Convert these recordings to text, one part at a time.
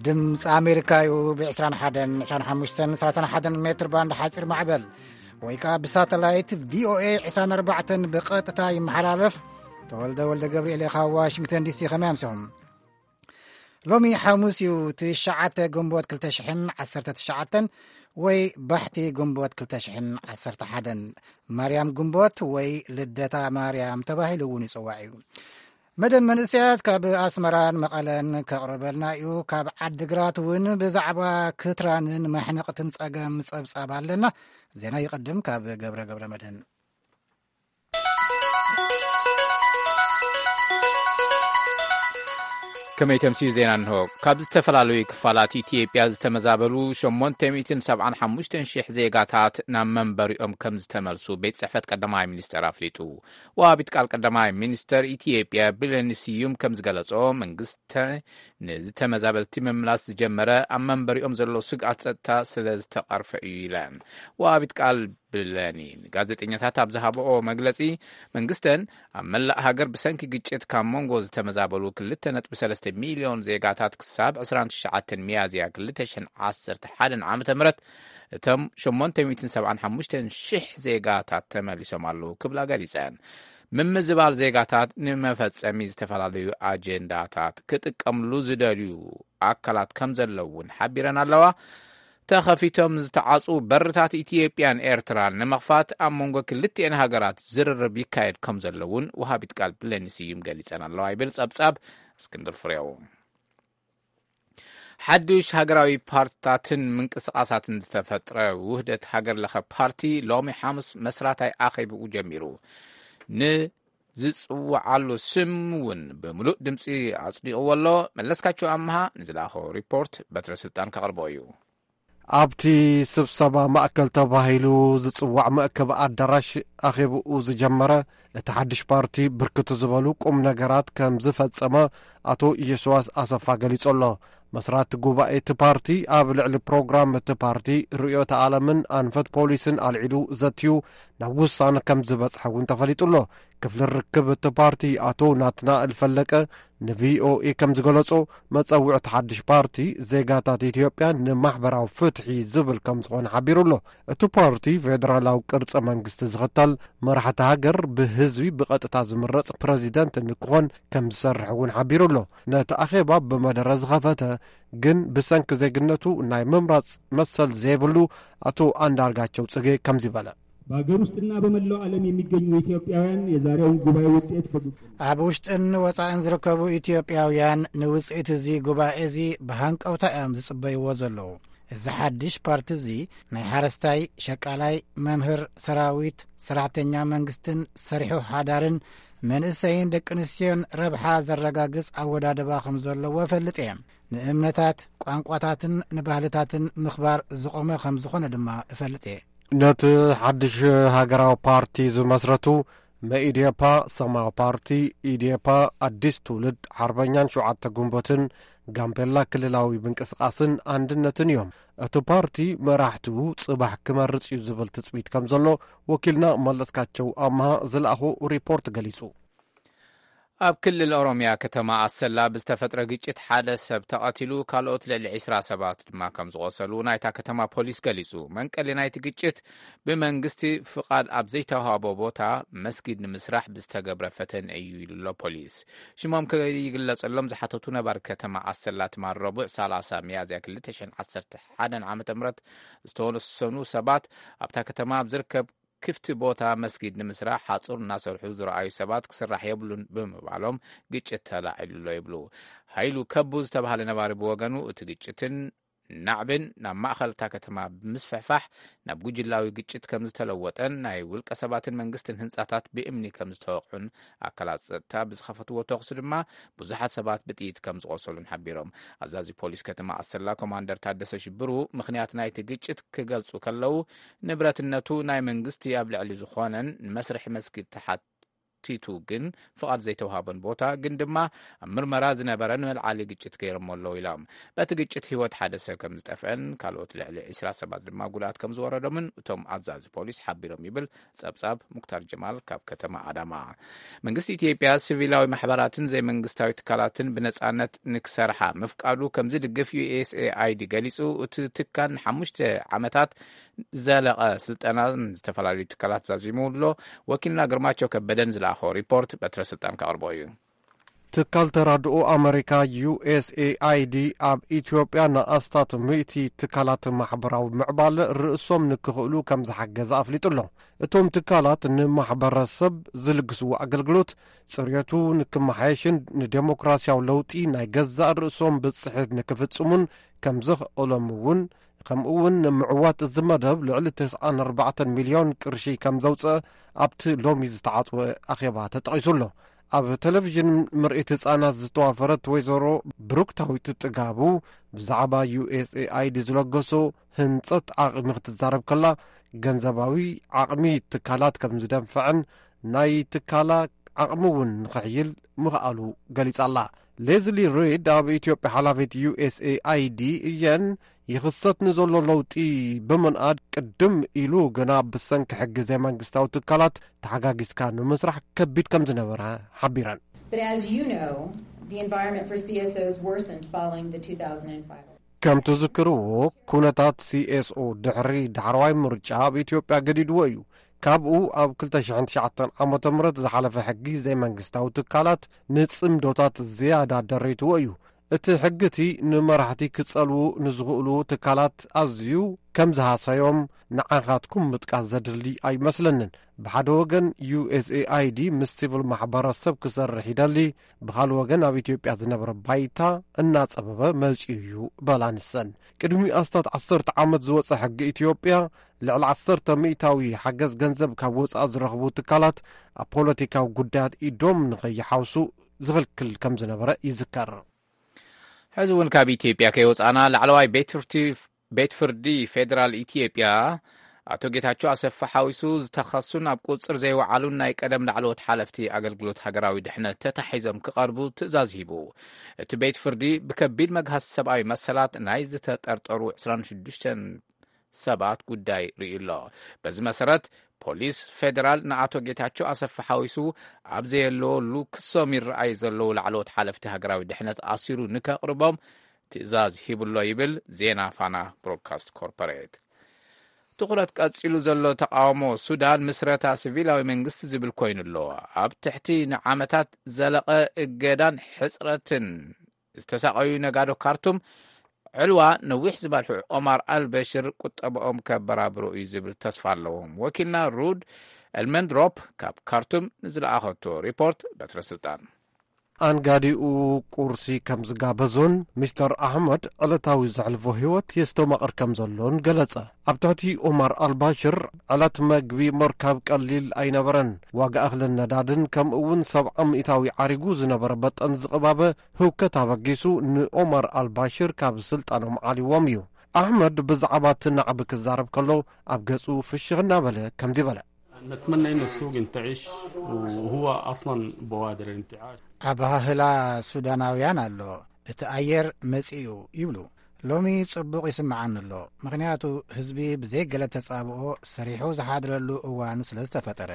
ድምፂ ኣሜሪካ እዩ። ብ21፣ 25፣ 31 ሜትር ባንድ ሓፂር ማዕበል ወይ ከዓ ብሳተላይት ቪኦኤ 24 ብቐጥታ ይመሓላለፍ። ተወልደ ወልደ ገብርኤል ካብ ዋሽንግተን ዲሲ። ከመይ ኣምሲኹም? ሎሚ ሓሙስ እዩ፣ ትሽዓተ ግንቦት ክልተ ሽሕን ዓሰርተ ትሽዓተን ወይ ባሕቲ ግንቦት ክልተ ሽሕን ዓሰርተ ሓደን። ማርያም ግንቦት ወይ ልደታ ማርያም ተባሂሉ እውን ይፅዋዕ እዩ። መደብ መንእሰያት ካብ ኣስመራን መቐለን ከቕርበልና እዩ። ካብ ዓድግራት እውን ብዛዕባ ክትራንን መሕነቕትን ጸገም ጸብጻብ ኣለና። ዜና ይቕድም ካብ ገብረ ገብረ መድህን። ከመይ ተምስዩ ዜና እንሆ። ካብ ዝተፈላለዩ ክፋላት ኢትዮጵያ ዝተመዛበሉ ሸሞንተ ሚእትን ሰብዓን ሓሙሽተን ሽሕ ዜጋታት ናብ መንበሪኦም ከም ዝተመልሱ ቤት ጽሕፈት ቀዳማይ ሚኒስተር ኣፍሊጡ። ወሃቢት ቃል ቀዳማይ ሚኒስተር ኢትዮጵያ ብለኒ ስዩም ከም ዝገለጾ፣ መንግስቲ ንዝተመዛበልቲ ምምላስ ዝጀመረ ኣብ መንበሪኦም ዘሎ ስግኣት ጸጥታ ስለ ዝተቐርፈ እዩ ኢለን። ወሃቢት ቃል ብለኒ ንጋዜጠኛታት ኣብ ዝሃበኦ መግለጺ፣ መንግስተን ኣብ መላእ ሃገር ብሰንኪ ግጭት ካብ መንጎ ዝተመዛበሉ ክልተ ነጥቢ ሰለስተ ሚልዮን ዜጋታት ክሳብ ዕስራን ትሽዓተን ሚያዝያ ክልተ ሽሕን ዓሰርተ ሓደን ዓመተ ምህረት እቶም ሸሞንተ ሚእትን ሰብዓን ሓሙሽተን ሽሕ ዜጋታት ተመሊሶም ኣለዉ ክብላ ገሊጸን። ምምዝባል ዜጋታት ንመፈጸሚ ዝተፈላለዩ ኣጀንዳታት ክጥቀምሉ ዝደልዩ ኣካላት ከም ዘለዉ እውን ሓቢረን ኣለዋ። ተኸፊቶም ዝተዓጹ በርታት ኢትዮጵያን ኤርትራን ንምኽፋት ኣብ መንጎ ክልቲኤን ሃገራት ዝርርብ ይካየድ ከም ዘሎ እውን ወሃቢት ቃል ብለኒ ስዩም ገሊጸን ኣለዋ ይብል ጸብጻብ እስክንድር ፍሬው። ሓዱሽ ሃገራዊ ፓርትታትን ምንቅስቓሳትን ዝተፈጥረ ውህደት ሃገር ለኸ ፓርቲ ሎሚ ሓሙስ መስራታይ ኣኼብኡ ጀሚሩ። ንዝጽውዓሉ ስም እውን ብምሉእ ድምፂ ኣጽዲቕዎ ኣሎ። መለስካቸው ኣምሃ ንዝለኣኾ ሪፖርት በትረ ስልጣን ከቕርቦ እዩ። ኣብቲ ስብሰባ ማእከል ተባሂሉ ዝጽዋዕ መእከቢ ኣዳራሽ ኣኼብኡ ዝጀመረ እቲ ሓድሽ ፓርቲ ብርክት ዝበሉ ቁም ነገራት ከም ዝፈጸመ ኣቶ የሽዋስ ኣሰፋ ገሊጹ ኣሎ። መስራቲ ጉባኤ እቲ ፓርቲ ኣብ ልዕሊ ፕሮግራም እቲ ፓርቲ፣ ርእዮተ ዓለምን ኣንፈት ፖሊስን ኣልዒሉ ዘትዩ ናብ ውሳነ ከም ዝበጽሐ እውን ተፈሊጡ ኣሎ። ክፍሊ ርክብ እቲ ፓርቲ ኣቶ ናትናኤል ፈለቀ ንቪኦኤ ከም ዝገለጾ፣ መጸውዕቲ ሓድሽ ፓርቲ ዜጋታት ኢትዮጵያ ንማሕበራዊ ፍትሒ ዝብል ከም ዝኾነ ሓቢሩ ኣሎ። እቲ ፓርቲ ፌደራላዊ ቅርጺ መንግስቲ ዝኽተል፣ መራሕቲ ሃገር ብህዝቢ ብቐጥታ ዝምረጽ ፕረዚደንት ንክኾን ከም ዝሰርሕ እውን ሓቢሩ ኣሎ። ነቲ ኣኼባ ብመደረ ዝኸፈተ ግን ብሰንኪ ዜግነቱ ናይ ምምራጽ መሰል ዘይብሉ ኣቶ ኣንዳርጋቸው ጽጌ ከምዚ በለ። በሀገር ውስጥና በመላው ዓለም የሚገኙ ኢትዮጵያውያን የዛሬውን ጉባኤ ውጤት በጉጉት ኣብ ውሽጥን ወጻእን ዝርከቡ ኢትዮጵያውያን ንውጽኢት እዚ ጉባኤ እዚ ብሃንቀውታ እዮም ዝጽበይዎ ዘለዉ። እዚ ሓድሽ ፓርቲ እዚ ናይ ሓረስታይ፣ ሸቃላይ፣ መምህር፣ ሰራዊት፣ ሰራሕተኛ መንግስትን ሰሪሑ ሓዳርን መንእሰይን ደቂ ኣንስትዮን ረብሓ ዘረጋግጽ ኣወዳድባ ከም ዘለዎ እፈልጥ እየ። ንእምነታት፣ ቋንቋታትን ንባህልታትን ምኽባር ዝቖመ ከም ዝኾነ ድማ እፈልጥ እየ። ነቲ ሓድሽ ሃገራዊ ፓርቲ ዝመስረቱ መኢዴፓ፣ ሰማያዊ ፓርቲ፣ ኢዴፓ፣ ኣዲስ ትውልድ፣ ሓርበኛን ሸውዓተ ግንቦትን፣ ጋምቤላ ክልላዊ ምንቅስቓስን ኣንድነትን እዮም። እቲ ፓርቲ መራሕቱ ጽባሕ ክመርጽ እዩ ዝብል ትጽቢት ከም ዘሎ ወኪልና መለስካቸው ኣምሃ ዝለኣኾ ሪፖርት ገሊጹ። ኣብ ክልል ኦሮምያ ከተማ ኣሰላ ብዝተፈጥረ ግጭት ሓደ ሰብ ተቐቲሉ፣ ካልኦት ልዕሊ ዕስራ ሰባት ድማ ከም ዝቖሰሉ ናይታ ከተማ ፖሊስ ገሊጹ። መንቀሊ ናይቲ ግጭት ብመንግስቲ ፍቓድ ኣብ ዘይተዋህቦ ቦታ መስጊድ ንምስራሕ ብዝተገብረ ፈተነ እዩ ኢሉ ኣሎ ፖሊስ። ሽሞም ከይግለጸሎም ዝሓተቱ ነባሪ ከተማ ኣሰላ ትማል ረቡዕ ሰላሳ ሚያዝያ ክልተ ሽሕን ዓሰርተ ሓደን ዓመተ ምህረት ዝተወሰኑ ሰባት ኣብታ ከተማ ኣብ ዝርከብ ክፍቲ ቦታ መስጊድ ንምስራሕ ሓጹር እናሰርሑ ዝረኣዩ ሰባት ክስራሕ የብሉን ብምባሎም ግጭት ተላዒሉ ኣሎ ይብሉ። ሃይሉ ከቡ ዝተባህለ ነባሪ ብወገኑ እቲ ግጭትን ናዕብን ናብ ማእኸል እታ ከተማ ብምስፍሕፋሕ ናብ ጉጅላዊ ግጭት ከም ዝተለወጠን ናይ ውልቀ ሰባትን መንግስትን ህንጻታት ብእምኒ ከም ዝተወቕዑን ኣካላት ጸጥታ ብዝኸፈትዎ ተኹሲ ድማ ብዙሓት ሰባት ብጥይት ከም ዝቖሰሉን ሓቢሮም። ኣዛዚ ፖሊስ ከተማ ኣሰላ ኮማንደር ታደሰ ሽብሩ ምኽንያት ናይቲ ግጭት ክገልጹ ከለዉ፣ ንብረትነቱ ናይ መንግስቲ ኣብ ልዕሊ ዝኾነን ንመስርሒ መስጊድ ተሓት ቲቱ ግን ፍቓድ ዘይተዋሃቦን ቦታ ግን ድማ ኣብ ምርመራ ዝነበረን መልዓሊ ግጭት ገይሮሞ ኣለዉ ኢሎም። በቲ ግጭት ህይወት ሓደ ሰብ ከም ዝጠፍአን ካልኦት ልዕሊ ዕስራ ሰባት ድማ ጉድኣት ከም ዝወረዶምን እቶም ኣዛዚ ፖሊስ ሓቢሮም ይብል ጸብጻብ ሙክታር ጀማል ካብ ከተማ ኣዳማ። መንግስቲ ኢትዮጵያ ሲቪላዊ ማሕበራትን ዘይመንግስታዊ ትካላትን ብነጻነት ንክሰርሓ ምፍቃዱ ከም ዝድግፍ ዩ ኤስ ኤ ኣይ ዲ ገሊጹ። እቲ ትካል ንሓሙሽተ ዓመታት ዘለቐ ስልጠናን ዝተፈላለዩ ትካላት ዛዚሙ ኣሎ። ወኪልና ግርማቸው ከበደን ዝለኣኾ ሪፖርት በትረ ስልጣን ከቕርቦ እዩ። ትካል ተራድኦ ኣመሪካ ዩ ኤስ ኤ ኣይ ዲ ኣብ ኢትዮጵያ ንኣስታት ሚእቲ ትካላት ማሕበራዊ ምዕባለ ርእሶም ንክኽእሉ ከም ዝሓገዘ ኣፍሊጡ ኣሎ። እቶም ትካላት ንማሕበረሰብ ዝልግስዎ ኣገልግሎት ጽርየቱ ንክመሓየሽን ንዴሞክራሲያዊ ለውጢ ናይ ገዛእ ርእሶም ብጽሒት ንክፍጽሙን ከም ዘኽእሎም እውን፣ ከምኡ እውን ንምዕዋት እዚ መደብ ልዕሊ ተስዓን ኣርባዕተን ሚልዮን ቅርሺ ከም ዘውፅአ ኣብቲ ሎሚ ዝተዓጽወ ኣኼባ ተጠቒሱ ኣሎ። ኣብ ቴሌቪዥን ምርኢት ህጻናት ዝተዋፈረት ወይዘሮ ብሩክታዊት ጥጋቡ ብዛዕባ ዩ ኤስ ኤ ኣይ ዲ ዝለገሶ ህንጸት ዓቕሚ ክትዛረብ ከላ፣ ገንዘባዊ ዓቕሚ ትካላት ከም ዝደንፍዕን ናይ ትካላ ዓቕሚ እውን ንኽሕይል ምኽኣሉ ገሊጻ ኣላ። ሌዝሊ ሪድ ኣብ ኢትዮጵያ ሓላፊት ዩ ኤስ ኤ ኣይ ዲ እየን። ይኽሰት ንዘሎ ለውጢ ብምንኣድ ቅድም ኢሉ ግና ብሰንኪ ሕጊ ዘይመንግስታዊ ትካላት ተሓጋጊዝካ ንምስራሕ ከቢድ ከም ዝነበረ ሓቢረን። But as you know, the environment for C S Os worsened following the two thousand five ከምቲ ዝክርዎ ኩነታት ሲ ኤስ ኦ ድሕሪ ዳሕረዋይ ምርጫ ኣብ ኢትዮጵያ ገዲድዎ እዩ። ካብኡ ኣብ ክልተ ሽሕን ትሽዓተን ዓመተ ምህረት ዝሓለፈ ሕጊ ዘይመንግስታዊ ትካላት ንጽምዶታት ዝያዳ ደሪትዎ እዩ። እቲ ሕጊ እቲ ንመራሕቲ ክጸልዉ ንዝኽእሉ ትካላት ኣዝዩ ከም ዝሃሰዮም ንዓኻትኩም ምጥቃስ ዘድሊ ኣይመስለንን። ብሓደ ወገን ዩ ኤስ ኤ ኣይ ዲ ምስ ሲቪል ማሕበረሰብ ክሰርሕ ይደሊ፣ ብኻልእ ወገን ኣብ ኢትዮጵያ ዝነበረ ባይታ እናጸበበ መጺኡ እዩ በላ ንሰን። ቅድሚ ኣስታት ዓሰርተ ዓመት ዝወጸ ሕጊ ኢትዮጵያ ልዕሊ ዓሰርተ ሚእታዊ ሓገዝ ገንዘብ ካብ ወጻኢ ዝረኽቡ ትካላት ኣብ ፖለቲካዊ ጉዳያት ኢዶም ንኸይሓውሱ ዝኽልክል ከም ዝነበረ ይዝከር። ሕዚ እውን ካብ ኢትዮጵያ ከይወጻና ላዕለዋይ ቤት ፍርዲ፣ ቤት ፍርዲ ፌዴራል ኢትዮጵያ ኣቶ ጌታቸው ኣሰፋ ሓዊሱ ዝተኸሱን ኣብ ቁጽር ዘይወዓሉን ናይ ቀደም ላዕለዎት ሓለፍቲ ኣገልግሎት ሃገራዊ ድሕነት ተታሒዞም ክቐርቡ ትእዛዝ ሂቡ። እቲ ቤት ፍርዲ ብከቢድ መግሃስ ሰብኣዊ መሰላት ናይ ዝተጠርጠሩ ዕስራን ሽዱሽተን ሰባት ጉዳይ ርእዩ ኣሎ። በዚ መሰረት ፖሊስ ፌዴራል ንኣቶ ጌታቸው ኣሰፋ ሓዊሱ ኣብ ዘየለወሉ ክሶም ይረኣዩ ዘለዉ ላዕለዎት ሓለፍቲ ሃገራዊ ድሕነት ኣሲሩ ንከቕርቦም ትእዛዝ ሂቡ ኣሎ ይብል ዜና ፋና ብሮድካስት ኮርፖሬት። ትኹረት ቀጺሉ ዘሎ ተቃውሞ ሱዳን ምስረታ ሲቪላዊ መንግስቲ ዝብል ኮይኑ ኣሎ። ኣብ ትሕቲ ንዓመታት ዘለቐ እገዳን ሕጽረትን ዝተሳቐዩ ነጋዶ ካርቱም ዕልዋ ነዊሕ ዝበልሑ ኦማር ኣልበሽር ቁጠባኦም ከበራብሩ እዩ ዝብል ተስፋ ኣለዎም። ወኪልና ሩድ ኤልመንድሮፕ ካብ ካርቱም ንዝለኣኸቶ ሪፖርት በትረ ስልጣን። ኣንጋዲኡ ቁርሲ ከም ዝጋበዞን ሚስተር ኣሕመድ ዕለታዊ ዘሕልፎ ህይወት የስተማቕር ከም ዘሎን ገለጸ። ኣብ ትሕቲ ኦማር ኣልባሽር ዕለት መግቢ ምርካብ ቀሊል ኣይነበረን። ዋጋ እኽልን ነዳድን ከምኡ እውን ሰብዓ ሚእታዊ ዓሪጉ ዝነበረ በጠን ዝቕባበ ህውከት ኣበጊሱ ንኦማር ኣልባሽር ካብ ስልጣኖም ዓሊዎም እዩ። ኣሕመድ ብዛዕባ እቲ ናዕቢ ክዛረብ ከሎ ኣብ ገጹ ፍሽኽ እናበለ ከምዚ በለ። نتمنى إنه السوق ينتعش، وهو أصلًا بوادر الانتعاش. ኣባህህላ ሱዳናውያን ኣሎ። እቲ ኣየር መጺኡ ይብሉ። ሎሚ ጽቡቕ ይስምዓኒ ኣሎ፣ ምኽንያቱ ህዝቢ ብዘይ ገለ ተጻብኦ ሰሪሑ ዝሓድረሉ እዋን ስለ ዝተፈጠረ።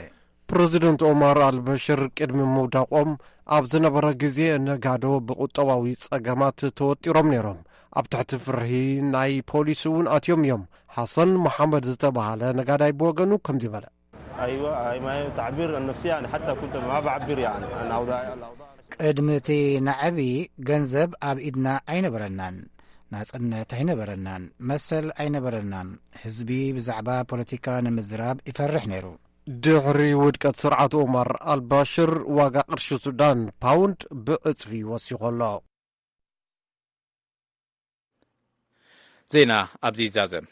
ፕረዚደንት ኦማር ኣልበሽር ቅድሚ ምውዳቖም ኣብ ዝነበረ ግዜ ነጋዶ ብቁጠባዊ ጸገማት ተወጢሮም ነይሮም። ኣብ ትሕቲ ፍርሂ ናይ ፖሊስ እውን ኣትዮም እዮም። ሓሰን መሓመድ ዝተባህለ ነጋዳይ ብወገኑ ከምዚ በለ። أيوة، هاي ما هي تعبير عن نفسي، يعني حتى كنت ما بعبر يعني عن أوضاع، الأوضاع. ቅድሚ እቲ ናዕቢ ገንዘብ ኣብ ኢድና ኣይነበረናን፣ ናጽነት ኣይነበረናን፣ መሰል ኣይነበረናን። ህዝቢ ብዛዕባ ፖለቲካ ንምዝራብ ይፈርሕ ነይሩ። ድሕሪ ውድቀት ስርዓት ኦማር ኣልባሽር ዋጋ ቅርሺ ሱዳን ፓውንድ ብዕጽፊ ወሲኹ ኣሎ። ዜና ኣብዚ ይዛዘም።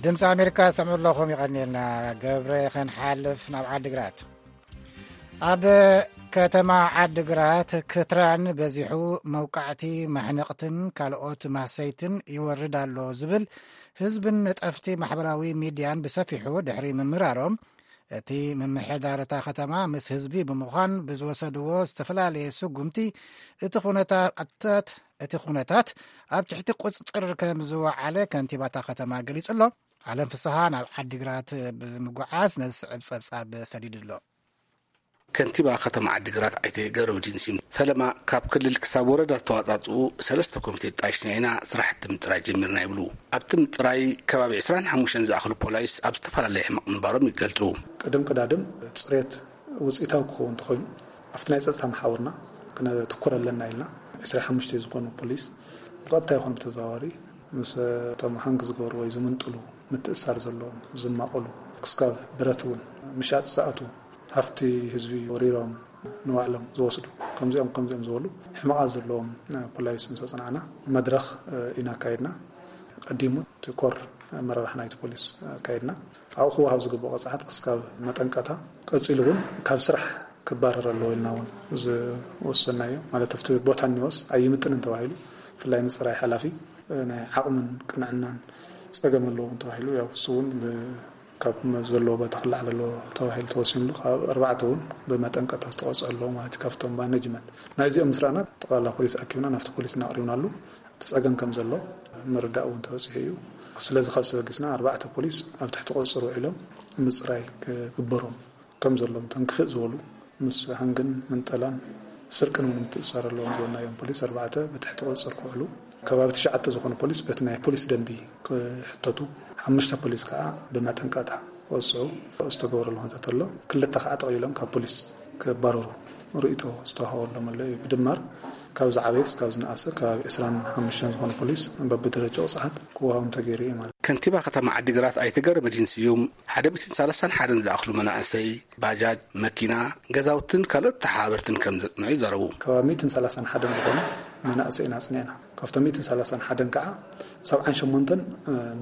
ድምፂ ኣሜሪካ ሰምዑ ኣለኹም፣ ይቐንየልና። ገብረ፣ ክንሓልፍ ናብ ዓዲግራት። ኣብ ከተማ ዓድግራት ክትራን በዚሑ መውቃዕቲ፣ ማሕነቕትን ካልኦት ማህሰይትን ይወርድ ኣሎ ዝብል ህዝብን ነጠፍቲ ማሕበራዊ ሚድያን ብሰፊሑ ድሕሪ ምምራሮም፣ እቲ ምምሕዳር እታ ከተማ ምስ ህዝቢ ብምዃን ብዝወሰድዎ ዝተፈላለየ ስጉምቲ፣ እቲ ኩነታት እቲ ኩነታት ኣብ ትሕቲ ቁጽጽር ከም ዝወዓለ ከንቲባታ ከተማ ገሊጹ ኣሎ። ዓለም ፍስሃ ናብ ዓዲግራት ብምጉዓዝ ነዚ ዝስዕብ ጸብጻብ ሰዲዱ ኣሎ። ከንቲባ ከተማ ዓዲግራት ኣይተ ገብረመድህን ስዩም፣ ፈለማ ካብ ክልል ክሳብ ወረዳ ዝተዋጻጽኡ ሰለስተ ኮሚቴ ጣይሽና ኢና ስራሕቲ ምጥራይ ጀሚርና ይብሉ። ኣብቲ ምጥራይ ከባቢ ዕስራን ሓሙሽተን ዝኣኽሉ ፖላይስ ኣብ ዝተፈላለየ ሕመቕ ምንባሮም ይገልጹ። ቅድም ቅዳድም ጽሬት ውጽኢታዊ ክኸውን እንተኾይኑ፣ ኣብቲ ናይ ጸጥታ መሓውርና ክነትኩር ኣለና ኢልና፣ ዕስራን ሓሙሽተን ዝኾኑ ፖሊስ ብቐጥታ ይኹን ብተዘዋዋሪ ምስ እቶም ሃንግ ዝገብሩ ወይ ዝምንጥሉ፣ ምትእሳር ዘለዎም፣ ዝማቐሉ፣ ክስካብ ብረት እውን ምሻጥ ዝኣትዉ፣ ሃፍቲ ህዝቢ ወሪሮም ንባዕሎም ዝወስዱ፣ ከምዚኦም ከምዚኦም ዝበሉ ሕመቓት ዘለዎም ፖላይስ ምስ ኣጽናዕና፣ መድረኽ ኢና ኣካይድና። ቀዲሙ እቲ ኮር ኣመራርሓ ናይቲ ፖሊስ ኣካይድና። ኣብኡ ክወሃብ ዝግብኦ ቅፅዓት ክስካብ መጠንቀታ፣ ቀፂሉ እውን ካብ ስራሕ ክባረር ኣለዎ ኢልና እውን ዝወሰናዮ፣ ማለት ኣብቲ ቦታ እኒወስ ኣይምጥንን ተባሂሉ፣ ብፍላይ ምፅራይ ሓላፊ ናይ ዓቕምን ቅንዕናን ፀገም ኣለዎም ተባሂሉ፣ ያው እሱ እውን ብ-፣ ካብ ዘለዎ ቦታ ክላዓል ኣለዎ ተባሂሉ ተወሲኑሉ፣ ካብ ኣርባዕተ እውን ብመጠንቀታ ዝተቐፅዑ ኣለዉ ማለት እዩ። ካብቶም ማኔጅመንት ናይዚኦም ምስ ረኣና፣ ጠቕላላ ፖሊስ ኣኪብና ናብቲ ፖሊስ እናቕሪብናሉ፣ እቲ ጸገም ከም ዘሎ ምርዳእ እውን ተበጺሑ እዩ። ስለዚ ካብ ተበጊስና፣ ኣርባዕተ ፖሊስ ኣብ ትሕቲ ቁጽጽር ውዒሎም ምጽራይ ክግበሮም ከም ዘሎም፣ እቶም ክፍእ ዝበሉ ምስ ሃንግን ምንጠላን ስርቅን እውን ምትእስሳር ኣለዎም ዝበልናዮም ፖሊስ ኣርባዕተ ብትሕቲ ቁጽጽር ክውዕሉ፣ ከባቢ ትሽዓተ ዝኾኑ ፖሊስ በቲ ናይ ፖሊስ ደንቢ ክሕተቱ፣ ሓሙሽተ ፖሊስ ከዓ ብመጠንቀቕታ ክወጽዑ ዝተገበረሉ ኩነታት ኣሎ። ክልተ ከዓ ጠቕሊሎም ካብ ፖሊስ ክባረሩ ርእይቶ ዝተዋሃበሎም ኣሎ እዩ። ብድማር ካብ ዝዓበየ እስካብ ዝነኣሰ ከባቢ ዕስራን ሓሙሽተን ዝኾኑ ፖሊስ በብደረጃ ቅፅዓት ክወሃቦም ተገይሩ እዩ ማለት እዩ። ከንቲባ ከተማ ዓዲግራት ኣይተ ገብረመድህን ስዩም፣ ሓደ ሚእትን ሰላሳን ሓደን ዝኣኽሉ መናእሰይ፣ ባጃጅ፣ መኪና፣ ገዛውትን ካልኦት ተሓባበርትን ከም ዘጽንዑ ይዛረቡ። ከባቢ ሚእትን ሰላሳን ሓደን ዝኾኑ መናእሰይ ኢና ኣጽኒዕና። ካብቶም ሚእትን ሰላሳን ሓደን ከዓ ሰብዓን ሸሞንተን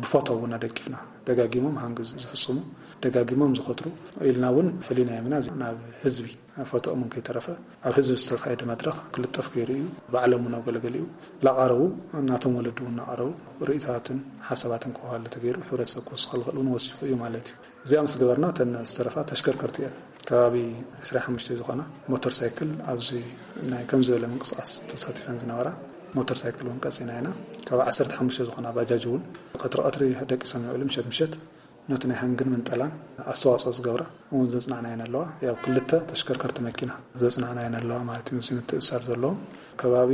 ብፎቶ እውን ኣደጊፍና፣ ደጋጊሞም ሃንግ ዝፍጽሙ፣ ደጋጊሞም ዝኸትሩ ኢልና እውን ፈሊናዮም ኢና። ናብ ህዝቢ ፎቶኦም እውን ከይተረፈ ኣብ ህዝቢ ዝተኻየደ መድረኽ ክልጠፍ ገይሩ እዩ። ባዕሎም እውን ኣብ ገለገሊኡ ላቐረቡ፣ ናቶም ወለዲ እውን እናቐረቡ ርእይታትን ሓሳባትን ክወሃሉ ተገይሩ፣ ሕብረተሰብ ክወስኸሉ ክእል እውን ወሲኹ እዩ ማለት እዩ። እዚኣ ምስ ገበርና፣ እተን ዝተረፋ ተሽከርከርቲ እየን። ከባቢ ዕስራን ሓሙሽተን ዝኾና ሞተር ሳይክል ኣብዚ ናይ ከም ዝበለ ምንቅስቃስ ተሳቲፈን ዝነበራ ሞተር ሳይክል እውን ቀፂና ኢና። ካብ ዓሰርተ ሓሙሽተ ዝኾና ባጃጅ እውን ቀትሪ ቀትሪ ደቂሶም ይውዕሉ፣ ምሸት ምሸት ነቲ ናይ ሃንግን ምንጠላን ኣስተዋፅኦ ዝገብራ እውን ዘጽናዕናየን ኣለዋ። ያው ክልተ ተሽከርከርቲ መኪና ዘጽናዕናየን ኣለዋ ማለት እዩ። ምስ ምትእሳር ዘለዎም ከባቢ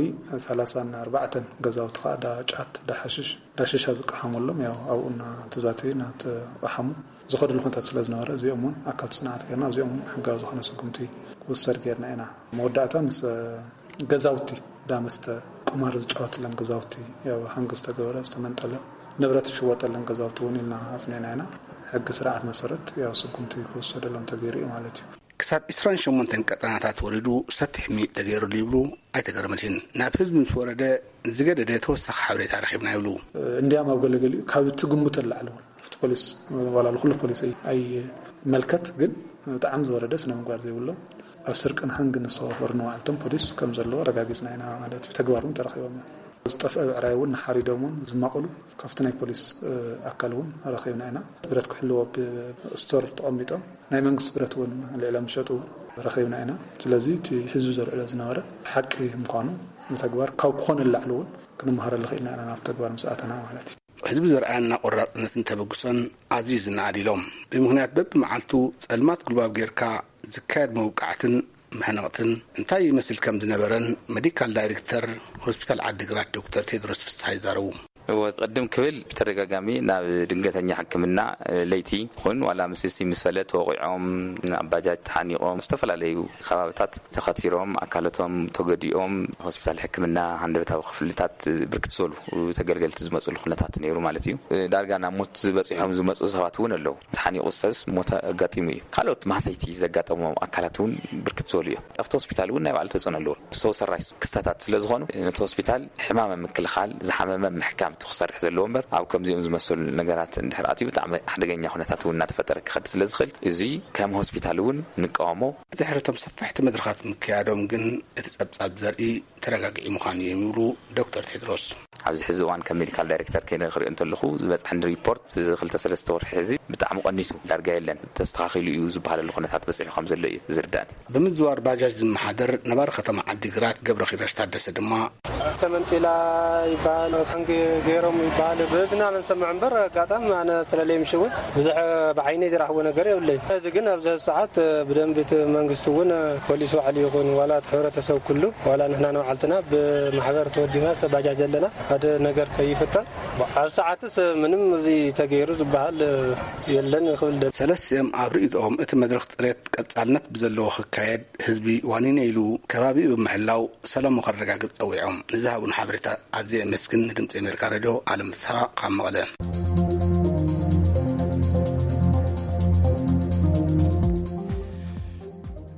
ሰላሳን ኣርባዕተን ገዛውቲ ከዓ ዳ ጫት፣ ዳ ሓሽሽ፣ ዳ ሽሻ ዝቀሓመሎም፣ ያው ኣብኡ እናተዛተዩ እናተቐሓሙ ዝኸድሉ ኩነታት ስለ ዝነበረ፣ እዚኦም እውን ኣካል ጽንዓት ጌርና፣ እዚኦም እውን ሕጋዊ ዝኾነ ስጉምቲ ክውሰድ ጌርና ኢና። መወዳእታ ምስ ገዛውቲ ዳ መስተ፣ ቁማር ዝጫወትለን ገዛውቲ፣ ያው ሃንግ ዝተገበረ፣ ዝተመንጠለ፣ ንብረት ዝሽወጠለን ገዛውቲ እውን ኢልና ኣጽኒዕና ኢና። ሕጊ ስርዓት መሰረት ያው ስጉምቲ ክውሰደሎም ተገይሩ እዩ ማለት እዩ። ክሳብ ዕስራን ሸሞንተን ቀጠናታት ወሪዱ ሰፊሕ ምይጥ ተገይሩሉ ይብሉ ኣይተ ገብረመድህን። ናብ ህዝቢ ምስ ወረደ ዝገደደ ተወሳኺ ሓበሬታ ረኺብና ይብሉ። እንዲያም ኣብ ገለገሊኡ ካብ ትግምቶ ንላዕሊ እውን ኣብቲ ፖሊስ፣ ዋላ ኩሉ ፖሊስ ኣይ-፣ ኣይመልከት፣ ግን ብጣዕሚ ዝወረደ ስነ ምግባር ዘይብሎም፣ ኣብ ስርቅን ሃንግን ዝተዋፈሩ ንባዕልቶም ፖሊስ ከም ዘለዎ ኣረጋጊጽና ኢና ማለት እዩ። ተግባር እውን ተረኺቦም እዮም። ዝጠፍአ ብዕራይ እውን ንሓሪዶም እውን ዝማቕሉ ካብቲ ናይ ፖሊስ፣ እ፣ ኣካል እውን ረኺብና ኢና። ብረት ክሕልዎ ኣብ ስቶር ተቐሚጦም ናይ መንግስቲ ብረት እውን ልዕሎም ዝሸጡ እውን ረኺብና ኢና። ስለዚ እቲ ህዝቢ ዘልዕሎ ዝነበረ ሓቂ ምዃኑ ብተግባር ካብ ክኾነ ንላዕሊ እውን ክንመሃረሉ ክኢልና ኢና፣ ናብ ተግባር ምስ ኣተና ማለት እዩ። ህዝቢ ዘርኣየና ቆራጽነትን ተበግሶን ኣዝዩ ዝነኣድ ኢሎም። ብምኽንያት በብመዓልቱ ጸልማት ጉልባብ ጌርካ ዝካየድ መውቃዕትን መሕነቕትን እንታይ ይመስል ከም ዝነበረን ሜዲካል ዳይሬክተር ሆስፒታል ዓዲግራት ዶክተር ቴድሮስ ፍስሓ ይዛረቡ። እወ፣ ቅድም ክብል ብተደጋጋሚ ናብ ድንገተኛ ሕክምና፣ እ፣ ለይቲ ይኹን ዋላ ምስቲ ምስ ፈለ ተወቒዖም፣ ኣብ ባጃጅ ተሓኒቖም፣ ዝተፈላለዩ ከባብታት ተኸቲሮም፣ ኣካላቶም ተጎዲኦም፣ ሆስፒታል ሕክምና ሃንደበታዊ ክፍልታት ብርክት ዝበሉ ተገልገልቲ ዝመፅሉ ኩነታት ነይሩ ማለት እዩ። ዳርጋ ናብ ሞት ዝበፂሖም ዝመፁ ሰባት እውን ኣለዉ። ተሓኒቑ ሰብስ ሞት ኣጋጢሙ እዩ። ካልኦት ማህሰይቲ ዘጋጠሞም ኣካላት እውን ብርክት ዝበሉ እዮም። ኣብቲ ሆስፒታል እውን ናይ ባዕሉ ተፅዕኖ ኣለዎ። ሰው ሰራሽ ክስተታት ስለ ዝኾኑ ነቲ ሆስፒታል ሕማም ምክልኻል፣ ዝሓመመ ምሕካም፣ ክሰርሕ ዘለዎ እምበር፣ ኣብ ከምዚኦም ዝመሰሉ ነገራት እንድሕር ኣትዩ፣ ብጣዕሚ ሓደገኛ ኩነታት እውን እናተፈጠረ ክኸድ ስለ ዝኽእል፣ እዚ ከም ሆስፒታል እውን ንቃወሞ። ብድሕሪ እቶም ሰፋሕቲ መድረኻት ምክያዶም ግን፣ እቲ ጸብጻብ ዘርኢ ተረጋጊዑ ምዃኑ እዮም ይብሉ ዶክተር ቴድሮስ። ኣብዚ ሕዚ እዋን ከም ሜዲካል ዳይሬክተር ከይደ ክሪኦ እንተለኹ፣ ዝበጽሐኒ ሪፖርት እዚ ክልተ ሰለስተ ወርሒ ሕዚ ብጣዕሚ ቀኒሱ፣ ዳርጋ የለን፣ ተስተኻኺሉ እዩ ዝበሃለሉ ኩነታት በጺሑ ከም ዘሎ እዩ ዝርዳእኒ። ብምዝዋር ባጃጅ ዝመሓደር ነባሪ ከተማ ዓዲግራት ገብረኺዳሽ ታደሰ ድማ፣ ተመንጢላ ይበሃል፣ ታንኪ ገይሮም ይበሃል፣ ብእዝና ንሰምዕ እምበር፣ ኣጋጣሚ ኣነ ስለለይ ምሽ እውን ብዙሕ ብዓይነይ ዝረኽቦ ነገር የብለይ። እዚ ግን ኣብዚ ሰዓት ብደንቢ እቲ መንግስቲ እውን ፖሊስ ባዕሉ ይኹን ዋላ እቲ ሕብረተሰብ ኩሉ፣ ዋላ ንሕና ንባዕልትና ብማሕበር ተወዲብና ሰብ ባጃጅ ዘለና ሓደ ነገር ከይፍጠር ኣብ ሰዓትስ ምንም እዚ ተገይሩ ዝበሃል የለን ክብል ደል- ሰለስቲኦም ኣብ ርእይቶኦም፣ እቲ መድረኽ ጽሬት ቀጻልነት ብዘለዎ ክካየድ ህዝቢ ዋኒነ ኢሉ ከባቢ ብምሕላው ሰላሙ ከረጋግጽ ጸዊዖም። ንዝሃቡን ሓበሬታ ኣዝየ የመስግን። ንድምጺ ኣሜሪካ ሬድዮ፣ ኣለም ፍስሓ ካብ መቐለ።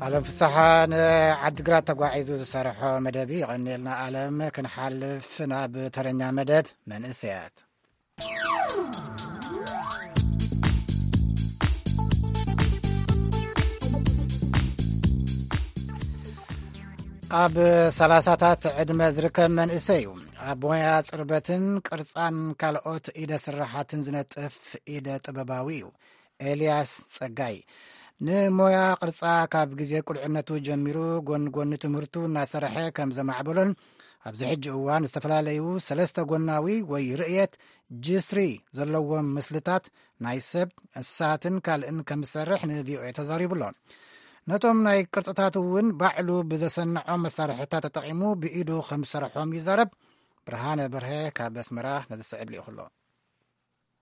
ኣለም ፍስሓ ንዓዲግራት ተጓዒዙ ዝሰርሖ መደብ እዩ። የቐንየልና ኣለም። ክንሓልፍ ናብ ተረኛ መደብ መንእሰያት። ኣብ ሰላሳታት ዕድመ ዝርከብ መንእሰይ እዩ። ኣብ ሞያ ጽርበትን ቅርጻን ካልኦት ኢደ ስራሓትን ዝነጥፍ ኢደ ጥበባዊ እዩ። ኤልያስ ጸጋይ ንሞያ ቅርጻ ካብ ግዜ ቁልዕነቱ ጀሚሩ ጎን ጎኒ ትምህርቱ እናሰርሐ ከም ዘማዕበሎን ኣብዚ ሕጂ እዋን ዝተፈላለዩ ሰለስተ ጎናዊ ወይ ርእየት ጅስሪ ዘለዎም ምስልታት ናይ ሰብ፣ እንስሳትን ካልእን ከም ዝሰርሕ ንቪኦኤ ተዛሪቡ ኣሎ። ነቶም ናይ ቅርጽታት እውን ባዕሉ ብዘሰንዖም መሳርሕታት ተጠቒሙ ብኢዱ ከም ዝሰርሖም ይዛረብ። ብርሃነ በርሀ ካብ ኣስመራ ነዚ ስዕብ ልኢኹ ኣሎ።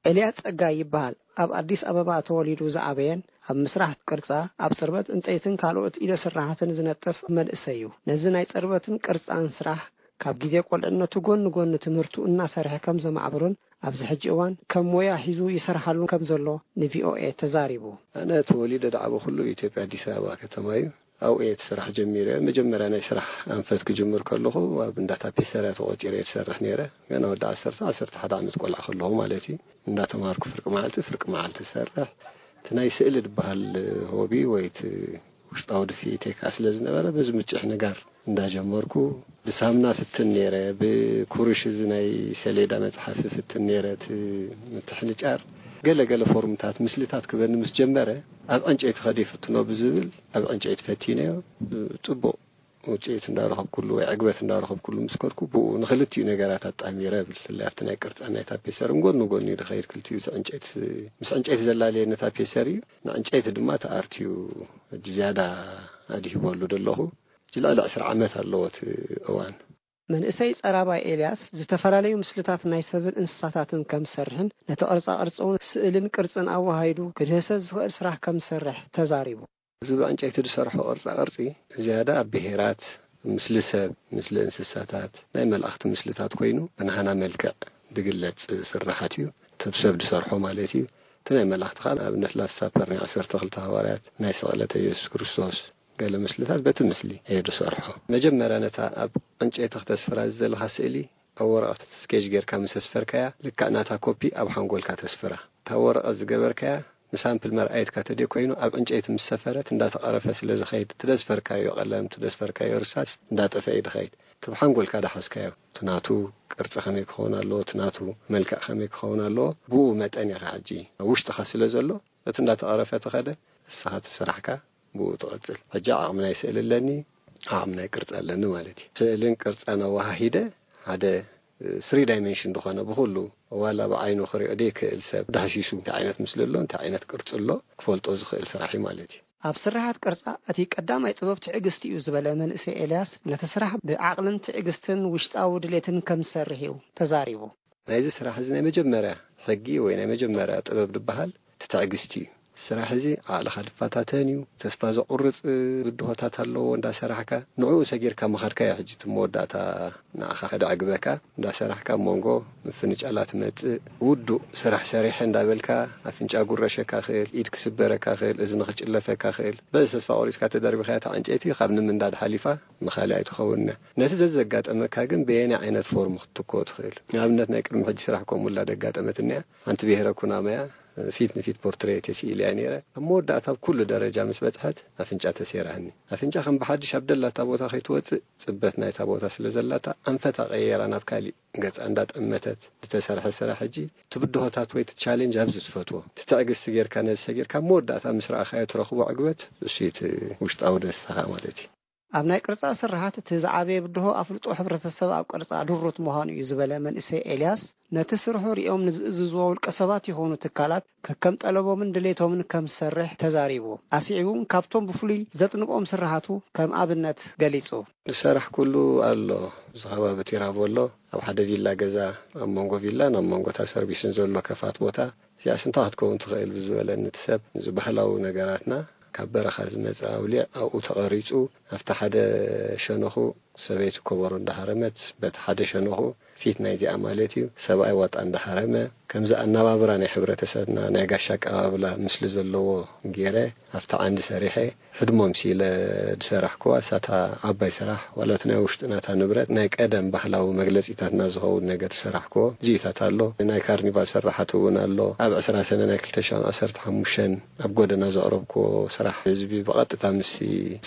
ኤልያስ ጸጋይ ይበሃል። ኣብ ኣዲስ ኣበባ ተወሊዱ ዝዓበየን ኣብ ምስራሕ ቅርጻ፣ ኣብ ጽርበት ዕንጸይትን ካልኦት ኢደ ስራሓትን ዝነጥፍ መንእሰይ እዩ። ነዚ ናይ ጽርበትን ቅርጻን ስራሕ ካብ ግዜ ቆልዕነቱ ጎኒ ጎኒ ትምህርቱ እናሰርሐ ከም ዘማዕበሎን ኣብዚ ሕጂ እዋን ከም ሞያ ሒዙ ይሰርሓሉ ከም ዘሎ ንቪኦኤ ተዛሪቡ። ኣነ ተወሊደ ዝዓበኹሉ ኢትዮጵያ ኣዲስ ኣበባ ከተማ እዩ። ኣብኡ እየ እቲ ስራሕ ጀሚረ። መጀመርያ ናይ ስራሕ ኣንፈት ክጅምር ከለኹ ኣብ እንዳ ታፔሰርያ ተቖጺረ እየ ዝሰርሕ ነይረ። ገና ወዲ ዓሰርተ፣ ዓሰርተ ሓደ ዓመት ቆልዓ ከለኹ ማለት እዩ። እንዳተማሃርኩ ፍርቂ መዓልቲ፣ ፍርቂ መዓልቲ እሰርሕ። እቲ ናይ ስእሊ ዝበሃል ሆቢ ወይ እቲ ውሽጣዊ ድፍኢተይ ከኣ ስለ ዝነበረ፣ በዚ ምጭሕ ንጋር እንዳጀመርኩ፣ ብሳምና ፍትን ነይረ፣ ብኩርሽ እዚ ናይ ሰሌዳ መጽሓፊ ፍትን ነይረ፣ እቲ ምትሕንጫር። ገለ ገለ ፎርምታት፣ ምስልታት ክበኒ ምስ ጀመረ፣ ኣብ ዕንጨይቲ ከደ ይፍትኖ ብዝብል፣ ኣብ ዕንጨይቲ ፈቲነዮ። ጽቡቕ ውጽኢት እንዳረኸብኩሉ ወይ ዕግበት እንዳረኸብኩሉ ምስ ከድኩ፣ ብኡ ንኽልቲኡ ነገራት ኣጣሚረ እብል። ብፍላይ ኣብቲ ናይ ቅርጻን ናይ ታፔሰርን ጎኒ ጎኒ እዩ ዝኸይድ፣ ክልቲኡ። እቲ ዕንጨይቲ፣ ምስ ዕንጨይቲ ዘላለየኒ ታፔሰር እዩ፣ ንዕንጨይቲ ድማ እቲ ኣርት እዩ ሕጂ ዝያዳ ኣድሂበሉ ዘለኹ። ሕጂ ልዕሊ ዕስራ ዓመት ኣለዎ እቲ እዋን። መንእሰይ ጸራባይ ኤልያስ ዝተፈላለዩ ምስልታት ናይ ሰብን እንስሳታትን ከም ዝሰርሕን ነቲ ቅርጻ ቅርጺ እውን ስእልን ቅርጽን ኣወሃሂዱ ክድህሰ ዝኽእል ስራሕ ከም ዝሰርሕ ተዛሪቡ። እዚ ብዕንጨይቲ ዝሰርሖ ቅርጻ ቅርጺ ዝያዳ ኣብ ብሄራት፣ ምስሊ ሰብ፣ ምስሊ እንስሳታት፣ ናይ መላእኽቲ ምስልታት ኮይኑ ብናህና መልክዕ ዝግለጽ ስርሓት እዩ። እቲ ሰብ ዝሰርሖ ማለት እዩ። እቲ ናይ መላእኽቲ ከዓ ንኣብነት ላስት ሳፐር ናይ ዓሰርተ ክልተ ሃዋርያት፣ ናይ ስቕለተ ኢየሱስ ክርስቶስ ገለ ምስልታት በቲ ምስሊ እየ ዝሰርሖ። መጀመርያ ነታ ኣብ ዕንጨይቲ ክተስፍራ ዝደለኻ ስእሊ ኣብ ወረቐት ስኬች ጌርካ ምስ ኣስፈርካያ፣ ልክዕ ናታ ኮፒ ኣብ ሓንጎልካ ተስፍራ። እታ ወረቐት ዝገበርካያ ንሳምፕል መርኣይትካ ተደይ ኮይኑ፣ ኣብ ዕንጨይቲ ምስ ሰፈረት እንዳተቐረፈ ስለ ዝኸይድ፣ እቲ ደስፈርካዮ ቀለም፣ እቲ ደስፈርካዮ ርሳስ እንዳጠፈአ እዩ ዝኸይድ። እቲ ብሓንጎልካ ዳሓዝካዮ፣ እቲ ናቱ ቅርጺ ከመይ ክኸውን ኣለዎ፣ እቲ ናቱ መልክዕ ከመይ ክኸውን ኣለዎ፣ ብኡ መጠን ኢኻ ሕጂ ኣብ ውሽጥኻ ስለ ዘሎ፣ እቲ እንዳተቐረፈ ተኸደ፣ ንስኻ እቲ ስራሕካ ብኡ ትቕጽል። ሕጂ ዓቕሚ ናይ ስእሊ ኣለኒ፣ ዓቕሚ ናይ ቅርጺ ኣለኒ ማለት እዩ። ስእልን ቅርጻን ኣወሃሂደ ሓደ ስሪ ዳይሜንሽን ዝኾነ ብኹሉ ዋላ ብዓይኑ ክሪኦ ዘይክእል ሰብ ዳህሲሱ እንታይ ዓይነት ምስሊ ኣሎ፣ እንታይ ዓይነት ቅርጺ ኣሎ ክፈልጦ ዝኽእል ስራሕ እዩ ማለት እዩ። ኣብ ስርሓት ቅርጻ እቲ ቀዳማይ ጥበብ ትዕግስቲ እዩ ዝበለ መንእሰይ ኤልያስ፣ ነቲ ስራሕ ብዓቕልን ትዕግስትን ውሽጣዊ ድሌትን ከም ዝሰርሕ እዩ ተዛሪቡ። ናይዚ ስራሕ እዚ ናይ መጀመርያ ሕጊ ወይ ናይ መጀመርያ ጥበብ ዝበሃል እቲ ትዕግስቲ እዩ። ስራሕ እዚ ዓቕልኻ ዝፈታተን እዩ። ተስፋ ዘቑርጽ ብድሆታት ኣለዎ። እንዳሰራሕካ ንዕኡ ሰጊርካ ምኻድካ እዩ። ሕጂ እቲ መወዳእታ ንዓኻ ከደዕግበካ፣ እንዳሰራሕካ ኣብ መንጎ ምፍንጫላት መጽእ፣ ውዱእ ስራሕ ሰሪሐ እንዳበልካ ኣፍንጫ ጉረሸካ ክእል፣ ኢድ ክስበረካ ክእል፣ እዝኒ ክጭለፈካ ክእል። በዚ ተስፋ ቆሪጽካ ተደርቢኻያ እታ ዕንጨይቲ ካብ ንምንዳድ ሓሊፋ ንኻልእ ኣይትኸውን እያ። ነቲ ዘዘጋጠመካ ግን በየናይ ዓይነት ፎርም ክትትኮ ትኽእል? ንኣብነት ናይ ቅድሚ ሕጂ ስራሕ ከምኡ ላ ደጋጠመትኒ እያ። ሓንቲ ብሄረ ኩናማያ ፊት ንፊት ፖርትሬት ተስኢለያ ነይረ። ኣብ መወዳእታ ኣብ ኩሉ ደረጃ ምስ በጽሐት ኣፍንጫ ተሴራኒ። ኣፍንጫ ከም ብሓድሽ ኣብ ደላታ ቦታ ከይትወጽእ ጽበት ናይታ ቦታ ስለ ዘላታ ኣንፈታ ቀየራ ናብ ካሊእ ገጻ እንዳጠመተት ዝተሰርሐ ስራሕ ሕጂ እቲ ብድሆታት ወይ እቲ ቻሌንጅ ኣብዚ ትፈትዎ። እቲ ትዕግስቲ ጌርካ ነዚ ሰጊርካ ኣብ መወዳእታ ምስ ረኣኻዮ ትረኽቦ ዕግበት እሱ እዩ እቲ ውሽጣዊ ደስታኻ ማለት እዩ። ኣብ ናይ ቅርጻ ስርሓት እቲ ዝዓበየ ብድሆ ኣፍልጦ ሕብረተሰብ ኣብ ቅርጻ ድሩት ምዃኑ እዩ ዝበለ መንእሰይ ኤልያስ፣ ነቲ ስርሑ ሪኦም ንዝእዝዝዎ ውልቀ ሰባት ይኹኑ ትካላት ከከም ጠለቦምን ድሌቶምን ከም ዝሰርሕ ተዛሪቡ። ኣስዒቡ እውን ካብቶም ብፍሉይ ዘጥንቆም ስርሓቱ ከም ኣብነት ገሊጹ። ዝሰራሕ ኩሉ ኣሎ። እዚ ከባቢ ቲራቮ ኣሎ። ኣብ ሓደ ቪላ ገዛ ኣብ መንጎ ቪላን ኣብ መንጎ እታ ሰርቪስን ዘሎ ከፋት ቦታ እዚኣስ እንታይ ክትከውን ትኽእል ብዝበለኒ እቲ ሰብ፣ እዚ ባህላዊ ነገራትና ካብ በረኻ ዝመጽእ ኣውሊዕ ኣብኡ ተቐሪጹ ኣብቲ ሓደ ሸነኹ ሰበይቲ ኮበሮ እንዳሃረመት በቲ ሓደ ሸነኹ ፊት ናይዚኣ ማለት እዩ ሰብኣይ ዋጣ እንዳሃረመ ከምዚ ኣነባብራ ናይ ሕብረተሰብና ናይ ጋሻ ኣቀባብላ ምስሊ ዘለዎ ገይረ ኣብቲ ዓንዲ ሰሪሐ ህድሞም ሲለ ዝሰራሕኩዋ እሳታ ዓባይ ስራሕ ዋላ እቲ ናይ ውሽጥና እታ ንብረት ናይ ቀደም ባህላዊ መግለጺታትና ዝኸውን ነገር ዝሰራሕኩዎ እዚኢታት ኣሎ። ናይ ካርኒቫል ስራሓት እውን ኣሎ። ኣብ ዕስራ ሰነ ናይ ክልተ ሽሕን ዓሰርተ ሓሙሽተን ኣብ ጎደና ዘቕረብኩዎ ስራሕ ህዝቢ ብቐጥታ ምስ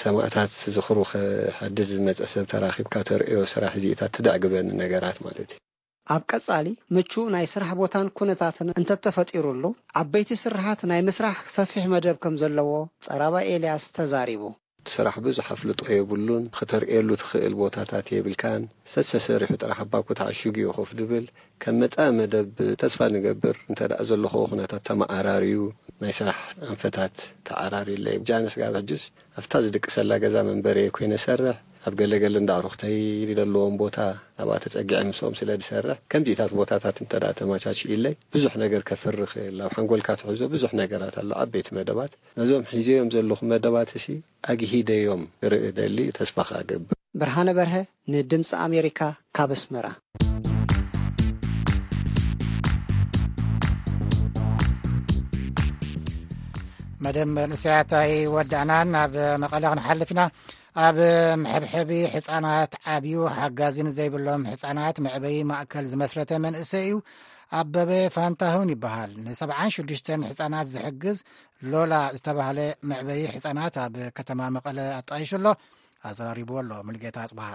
ሰማእታት ዝኽሩ ክሓድስ ዝመጸ ሰብ ተራኺብካ ተርእዮ ስራሕ እዚኢታት ትደዕግበኒ ነገራት ማለት እዩ። ኣብ ቀጻሊ ምቹእ ናይ ስራሕ ቦታን ኩነታትን እንተተፈጢሩሉ ዓበይቲ ስርሓት ናይ ምስራሕ ሰፊሕ መደብ ከም ዘለዎ ጸራባይ ኤልያስ ተዛሪቡ። እቲ ስራሕ ብዙሕ ኣፍልጦ የብሉን፣ ክተርእየሉ ትኽእል ቦታታት የብልካን፣ ሰሰሰሪሑ ጥራሕ ኣባኩ ተዓሽጉ እዩ ኮፍ ድብል። ከም መጻኢ መደብ ተስፋ ንገብር እንተ ደኣ ዘለኹዎ ኩነታት ተመዓራርዩ ናይ ስራሕ ኣንፈታት ተዓራርዩለይ። ጃንስ ጋብ ሕጅስ ኣብታ ዝድቅሰላ ገዛ መንበሪ ኮይነ ሰርሕ ኣብ ገለገለ እንዳ ኣዕሩኽተይ ዘለዎም ቦታ ኣብኣ ተጸጊዐ ምስኦም ስለ ዝሰርሕ ከምዚታት ቦታታት እንተ ደኣ ተመቻችዩለይ ብዙሕ ነገር ከፍሪ ክእል ኣብ ሓንጎልካ ትሕዞ ብዙሕ ነገራት ኣሎ ዓበይቲ መደባት ነዞም ሒዘዮም ዘለኹ መደባት እሲ ኣግሂደዮም ክርኢ ደሊ ተስፋ ከኣ ገብር። ብርሃነ በርሀ ንድምፂ ኣሜሪካ ካብ ኣስመራ። መደብ መንእሰያት ኣይወዳእናን። ናብ መቐለ ክንሓልፍ ኢና። ኣብ መሐብሐቢ ሕፃናት ዓብዩ ሓጋዚ ንዘይብሎም ሕፃናት መዕበዪ ማእከል ዝመስረተ መንእሰይ እዩ። ኣበበ ፋንታሁን ይበሃል። ንሰብዓን ሽዱሽተን ሕፃናት ዝሕግዝ ሎላ ዝተባህለ መዕበዪ ሕፃናት ኣብ ከተማ መቐለ ኣጣይሹ ኣሎ። ኣዘራሪብዎ ኣሎ ሙሉጌታ ኣጽብሃ።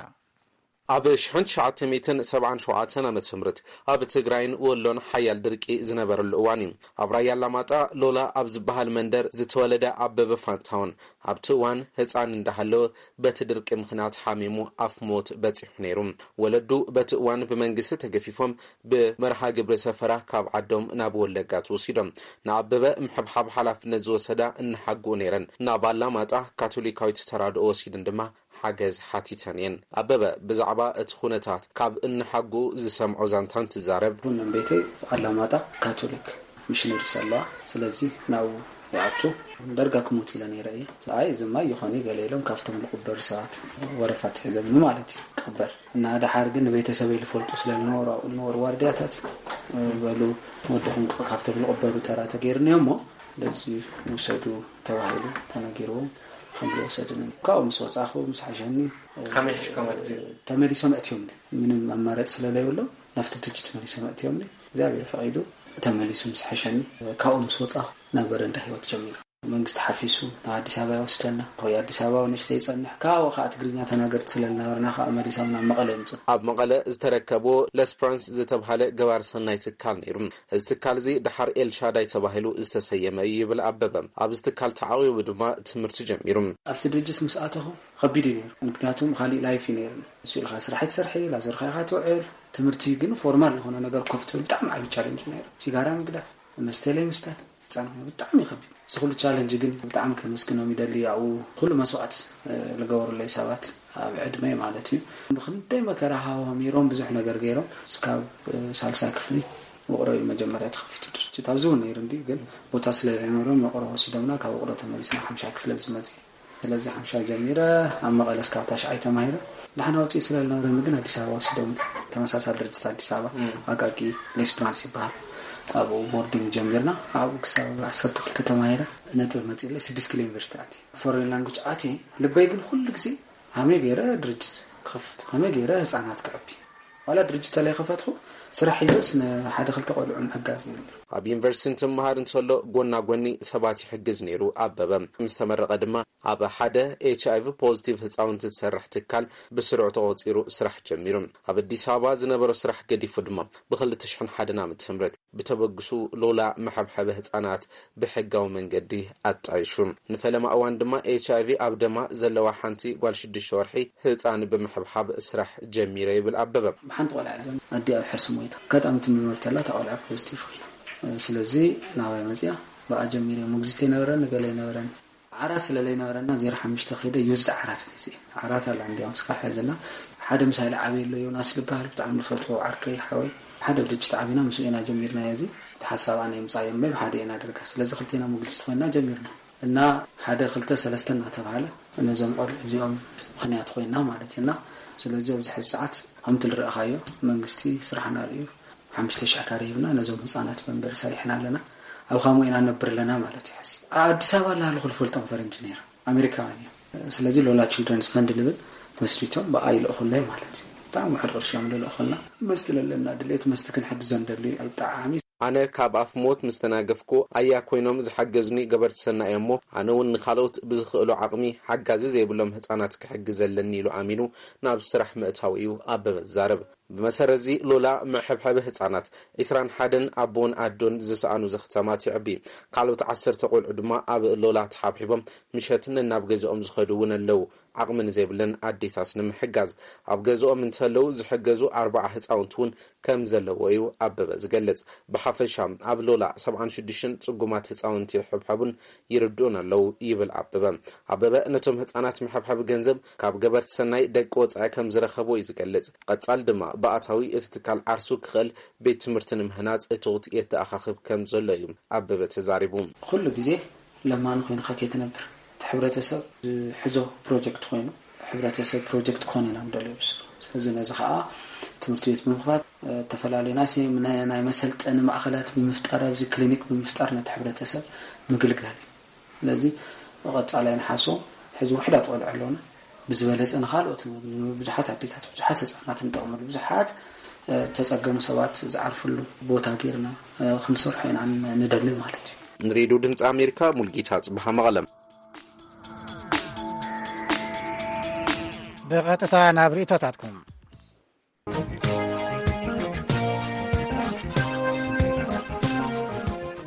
ኣብ ሽሕን ትሽዓተ ሚእትን ሰብዓን ሸውዓተን ዓመተ ምህረት ኣብ ትግራይን ወሎን ሓያል ድርቂ ዝነበረሉ እዋን እዩ። ኣብ ራያ ኣላማጣ ሎላ ኣብ ዝበሃል መንደር ዝተወለደ ኣበበ ፋንታውን ኣብቲ እዋን ህፃን እንዳሃለወ በቲ ድርቂ ምኽንያት ሓሚሙ ኣፍ ሞት በፂሑ ነይሩ። ወለዱ በቲ እዋን ብመንግስቲ ተገፊፎም ብመርሃ ግብሪ ሰፈራ ካብ ዓዶም ናብ ወለጋ ተወሲዶም። ንኣበበ ምሕብሓብ ሓላፍነት ዝወሰዳ እናሓግኡ ነይረን ናብ ኣላማጣ ካቶሊካዊት ተራድኦ ወሲድን ድማ ሓገዝ ሓቲተን እየን። ኣበበ ብዛዕባ እቲ ኩነታት ካብ እንሓጉ ዝሰምዖ ዛንታ እንትዛረብ። ቡን ቤተይ ኣላማጣ ካቶሊክ ሚሽነሪስ ኣለዋ። ስለዚ ናብኡ ይኣቱ። ደርጋ ክሞት ኢለ ነይረ እየ። ኣይ እዚ ማይ ይኾን እዩ ገለ ኢሎም ካብቶም ዝቕበሩ ሰባት ወረፋ ኣትሒዞምኒ ማለት እዩ ክቕበር እና ደሓር ግን ንቤተሰበይ ዝፈልጡ ስለ ዝነበሩ ኣብኡ ዝነበሩ ዋርድያታት በሉ ወድኹም ካብቶም ዝቕበሩ ተራ ተገይሩኒ እሞ ስለዚ ውሰዱ ተባሂሉ ተነጊርዎም ከም ዝወሰድኒ ካብኡ ምስ ወፃኹ ምስ ሓሸኒ። ከመይ ሕሽኮም ማለት እዩ? ተመሊሶም ኣእትዮምኒ ምንም ኣማራፂ ስለዘይብሎም ናብቲ ድርጅት መሊሶም ኣእትዮምኒ እግዚኣብሔር ፈቒዱ ተመሊሱ ምስ ሓሸኒ ካብኡ ምስ ወፃኹ ናብ በረንዳ ህይወት ጀሚሩ። መንግስቲ ሓፊሱ ናብ ኣዲስ ኣበባ ይወስደና ወይ ኣዲስ ኣበባ ንእሽተይ ይፀንሕ ካብኡ ከዓ ትግርኛ ተናገርቲ ስለዝነበርና ከዓ መሊሶም ናብ መቐለ ይምፁ። ኣብ መቐለ ዝተረከብዎ ለስፕራንስ ዝተብሃለ ገባር ሰናይ ትካል ነይሩ። እዚ ትካል እዚ ደሓር ኤልሻዳይ ተባሂሉ ዝተሰየመ እዩ ይብል ኣበበ። ኣብዚ ትካል ተዓቒቡ ድማ ትምህርቲ ጀሚሩ። ኣብቲ ድርጅት ምስ ኣተኹ ከቢድ እዩ ነይሩ። ምክንያቱም ካሊእ ላይፍ እዩ ነይሩ። ንሱ ኢልካ ስራሕ ትሰርሒ ላዘርካ ኢኻ ትውዕል። ትምህርቲ ግን ፎርማል ዝኾነ ነገር ኮፍ ትብል ብጣዕሚ ዓቢ ቻለንጅ ነይሩ። ሲጋራ ምግዳፍ፣ መስተ ለይ ምስታይ፣ ህፃን ኮይኑ ብጣዕሚ ይኸብድ። እዚ ኩሉ ቻለንጅ ግን ብጣዕሚ ከመስግኖም ይደሊ። ኣብኡ ኩሉ መስዋዕት ዝገበሩለይ ሰባት ኣብ ዕድመይ ማለት እዩ። ብክንደይ መከራ ሃዋሚሮም ብዙሕ ነገር ገይሮም እስካብ ሳልሳይ ክፍሊ ውቕሮ እዩ መጀመርያ ተኸፊቱ ድርጅት። ኣብዚ እውን ነይሩ እንድዩ፣ ግን ቦታ ስለ ዘይነበሮም ውቕሮ ወሲዶምና፣ ካብ ውቕሮ ተመሊስና ሓምሻይ ክፍለ ዝመጽእ። ስለዚ ሓምሻይ ጀሚረ ኣብ መቐለ እስካብ ታሽዓይ ተማሂረ። ደሓን ኣውፅኢ ስለ ዝነበረኒ ግን ኣዲስ ኣበባ ወሲዶም። ተመሳሳሊ ድርጅት ኣዲስ ኣበባ፣ ኣቃቂ ሌስፕራንስ ይበሃል። ኣብኡ ቦርዲንግ ጀሚርና። ኣብኡ ክሳብ ዓሰርተ ክልተ ተማሂረ ነጥቢ መፂእለይ ስድስት ኪሎ ዩኒቨርሲቲ ኣትየ። ፎሬን ላንጉጅ ኣትየ። ልበይ ግን ኩሉ ግዜ ከመይ ገይረ ድርጅት ክኸፍት፣ ከመይ ገይረ ህፃናት ከዕቢ። ዋላ ድርጅት ተለይ ከፈትኹ፣ ስራሕ ሒዘስ ንሓደ ክልተ ቆልዑ ምሕጋዝ እዩ ነይሩ። ኣብ ዩኒቨርሲቲ እንትመሃር እንተሎ፣ ጎና ጎኒ ሰባት ይሕግዝ ነይሩ ኣበበ። ምስ ተመረቐ ድማ ኣብ ሓደ ኤች ኣይ ቪ ፖዚቲቭ ህፃውንቲ ዝሰርሕ ትካል ብስሩዕ ተቖፂሩ ስራሕ ጀሚሩ። ኣብ ኣዲስ ኣበባ ዝነበሮ ስራሕ ገዲፉ ድማ ብክልተ ሽሕን ሓደን ዓመተ ምህረት ብተበግሱ ሎላ መሐብሐቢ ህፃናት ብሕጋዊ መንገዲ ኣጣይሹ። ንፈለማ እዋን ድማ ኤች ኣይ ቪ ኣብ ደማ ዘለዋ ሓንቲ ጓል ሽዱሽተ ወርሒ ህፃን ብምሕብሓብ ስራሕ ጀሚረ ይብል ኣበበ። ብሓንቲ ቆልዓ እያ ኣዲኣ ሕሱም ሞይታ። ኣጋጣሚ ትምርመር ተላ እታ ቆልዓ ፖዚቲቭ ኮይና። ስለዚ ናባይ መፅያ ብኣ ጀሚረ። ሞግዚት ኣይነበረን፣ ገለ ኣይነበረን። ዓራት ስለ ዘይነበረና ዜሮ ሓሙሽተ ከይደ ዩዝድ ዓራት ገዚኤ። ዓራት ኣላ እንዲያውም እስካ ሕዝና። ሓደ ምሳይ ልዓበየ ኣሎ ዮናስ ልበሃል ብጣዕሚ ልፈትዎ ዓርከይ ሓወይ። ሓደ ድርጅት ዓቢና ምስኡ ኢና ጀሚርናዮ። እዚ እቲ ሓሳብ ኣነ የምፃዮ እምበይ ብሓደ ኢና ደርጋ። ስለዚ ክልቴና ሞግዚት ኮይና ጀሚርና። እና ሓደ ክልተ ሰለስተ እናተባሃለ ነዞም ቆልዑ እዚኦም ምኽንያት ኮይና ማለት እዩ። እና ስለዚ ኣብዚ ሕዚ ሰዓት ከምቲ ልረእኻዮ መንግስቲ ስራሕና ርእዩ ሓሙሽተ ሽሕ ካሬ ሂብና ነዞም ህፃናት መንበሪ ሰሪሕና ኣለና። ኣብ ኻምኡ ኢና ነብር ኣለና ማለት እዩ። ሕዚ ኣብ ኣዲስ ኣበባ ላሃለኹ ልፈልጦም ፈረንጂ ነይሮም ኣሜሪካውያን እዮም። ስለዚ ሎላ ችልድረንስ ፈንድ ልብል መስሪቶም ብኣ ይልእኹለይ ማለት እዩ። ብጣዕሚ ውሕድ ቅርሺ እዮም ልልእኹልና። መስቲ ለለና ድሌት መስቲ ክንሕግዞ ንደሊ እዩ። ብጣዕሚ ኣነ ካብ ኣፍ ሞት ምስ ተናገፍኩ ኣያ ኮይኖም ዝሓገዙኒ ገበርቲ ሰናይ እሞ፣ ኣነ እውን ንኻልኦት ብዝኽእሎ ዓቕሚ ሓጋዚ ዘይብሎም ህጻናት ክሕግዝ ኣለኒ ኢሉ ኣሚኑ ናብ ስራሕ ምእታው እዩ ኣበበ ዝዛረብ። ብመሰረትዚ ሎላ መሐብሐቢ ህጻናት ዒስራን ሓደን ኣቦን ኣዶን ዝሰኣኑ ዘኽታማት የዕቢ። ካልኦት ዓሰርተ ቆልዑ ድማ ኣብ ሎላ ተሓብሒቦም ምሸት ነናብ ገዝኦም ዝኸዱ እውን ኣለዉ። ዓቕሚ ንዘይብለን ኣዴታት ንምሕጋዝ ኣብ ገዝኦም እንተለዉ ዝሕገዙ ኣርባዓ ህጻውንቲ እውን ከም ዘለዎ እዩ ኣበበ ዝገልጽ። ብሓፈሻ ኣብ ሎላ ሰብዓን ሽዱሽተን ጽጉማት ህጻውንቲ ይሕብሐቡን ይርድኡን ኣለዉ ይብል ኣበበ። ኣበበ ነቶም ህጻናት መሐብሐቢ ገንዘብ ካብ ገበርቲ ሰናይ ደቂ ወጻኢ ከም ዝረኸቦ እዩ ዝገልጽ። ቀጻል ድማ ብኣታዊ እቲ ትካል ዓርሱ ክኽእል ቤት ትምህርቲ ንምህናጽ እቶት የተኣኻኽብ ከም ዘሎ እዩ ኣበበ ተዛሪቡ። ኩሉ ግዜ ለማኒ ኮይንካ ከይትነብር፣ እቲ ሕብረተሰብ ዝሕዞ ፕሮጀክት ኮይኑ፣ ሕብረተሰብ ፕሮጀክት ክኾን ኢና ንደልዮ ብስሩ። ስለዚ ነዚ ከዓ ትምህርቲ ቤት ብምኽፋት፣ ዝተፈላለዩ ናይ ሴ-፣ ናይ፣ ናይ መሰልጠኒ ማእኸላት ብምፍጣር፣ ኣብዚ ክሊኒክ ብምፍጣር ነቲ ሕብረተሰብ ምግልጋል እዩ። ስለዚ ቀጻላይ ንሓስቦ፣ ሕዚ ውሕዳት ቆልዑ ኣለውና። ብዝበለጸ ንኻልኦት፣ ብዙሓት ኣዴታት፣ ብዙሓት ህጻናት ንጠቕመሉ፣ ብዙሓት፣ እ፣ ተጸገሙ ሰባት ዝዓርፍሉ ቦታ ጌርና፣ እ፣ ክንሰርሖ ኢና ን-፣ ንደሊ ማለት እዩ። ንሬድዮ ድምፂ ኣሜሪካ፣ ሙልጌታ ጽብሃ መቐለም። ብቐጥታ ናብ ርእይቶታትኩም።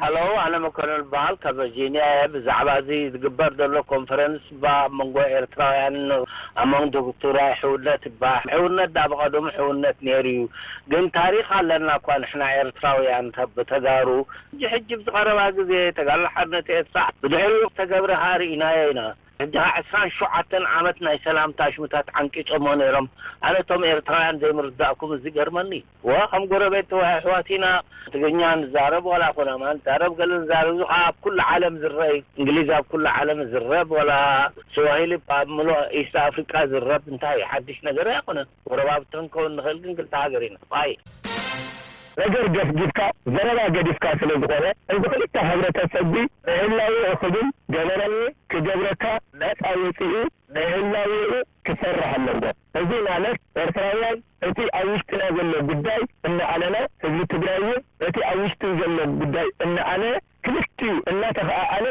ሃሎ፣ ኣነ መኮነን በሃል ካብ ቨርጂኒያ እየ። ብዛዕባ እዚ ዝግበር ዘሎ ኮንፈረንስ ባ ኣብ መንጎ ኤርትራውያን ኣሞንግ ዶክትራይ ሕውነት ይበሃል። ሕውነት ዳ ብቐደሙ ሕውነት ነይሩ እዩ። ግን ታሪኽ ኣለና እኳ ንሕና ኤርትራውያን ተ-፣ ብተጋሩ። ሕጂ፣ ሕጂ ብዝቐረባ ግዜ ተጋድሎ ሓርነት ኤርትራ ብድሕሪኡ ተገብረ ሃ ርኢናዮ ኢና። ሕጂ ኸዓ ዕስራን ሸውዓተን ዓመት ናይ ሰላም ታሽሙታት ዓንቂጾሞ ነይሮም። ኣነ እቶም ኤርትራውያን ዘይምርዳእኩም እዚ ገርመኒ። ወ፣ ከም ጎረቤት ተወ ኣሕዋት ኢና። ትግርኛ ንዛረብ ዋላ ኩናማ ንዛረብ ገለ ንዛረብ፣ እዚ ኸዓ ኣብ ኩሉ ዓለም ዝረአ እዩ። እንግሊዝ ኣብ ኩሉ ዓለም ዝረብ ዋላ ስዋሂሊ ኣብ ምሉእ ኢስት ኣፍሪቃ ዝረብ እንታይ ሓድሽ ነገር ኣይኮነን። ጎረባብቲ ክንከውን ንኽእል ግን ክልተ ሃገር ኢና። ባይ። ነገር ገፍጊፍካ፣ ዘረባ ገዲፍካ ስለ ዝኾነ፣ እዚ ክልተ ሕብረተሰብ እዚ ንህላዌኡ ክብል ገበራዊ ክገብረካ ነጻ ወጺኡ ንህላዌኡ ክሰርሕ ኣለዎ። እዚ ማለት ኤርትራውያን እቲ ኣብ ውሽጥና ዘሎ ጉዳይ እናኣለና፣ ህዝቢ ትግራይ እውን እቲ ኣብ ውሽጡ ዘሎ ጉዳይ እናኣለ፣ ክልቲኡ እናተኸኣኣለ።